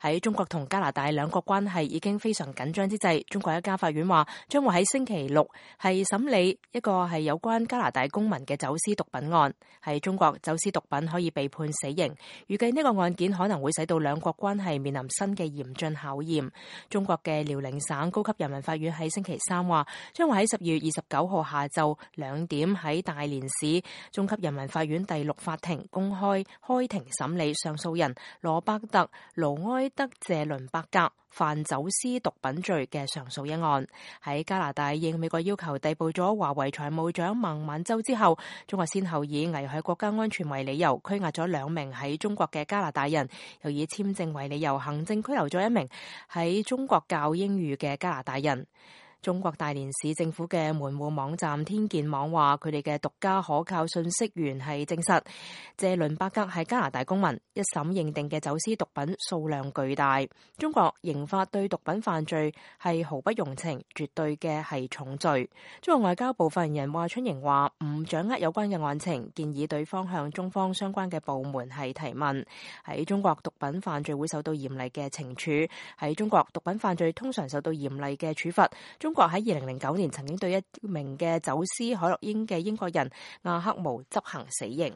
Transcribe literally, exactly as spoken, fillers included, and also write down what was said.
喺中國同加拿大兩國關係已經非常緊張之際，中國一家法院話將會喺星期六係審理一個係有關加拿大公民嘅走私毒品案。喺中國走私毒品可以被判死刑，預計呢個案件可能會使到兩國關係面臨新嘅嚴峻考驗。中國嘅遼寧省高級人民法院喺星期三話，將會喺十二月二十九號下晝兩點喺大連市中級人民法院第六法庭公開開庭審理上訴人羅伯特盧埃德謝倫伯格犯走私毒品罪嘅上訴一案。喺加拿大應美國要求逮捕咗華為財務長孟晚舟之後，中國先後以危害國家安全為理由拘押咗兩名喺中國嘅加拿大人，又以簽證為理由行政拘留咗一名喺中國教英語嘅加拿大人。中國大連市政府嘅門戶網站天健網話，佢哋嘅獨家可靠信息源係證實謝倫伯格係加拿大公民，一審認定嘅走私毒品數量巨大。中國刑法對毒品犯罪係毫不容情，絕對嘅係重罪。中國外交部發言人華春瑩話唔掌握有關嘅案情，建議對方向中方相關嘅部門係提問。喺中國毒品犯罪會受到嚴厲嘅懲處，喺中國毒品犯罪通常受到嚴厲嘅處罰。中國喺二零零九年曾經對一名嘅走私海洛因嘅英國人阿克毛執行死刑。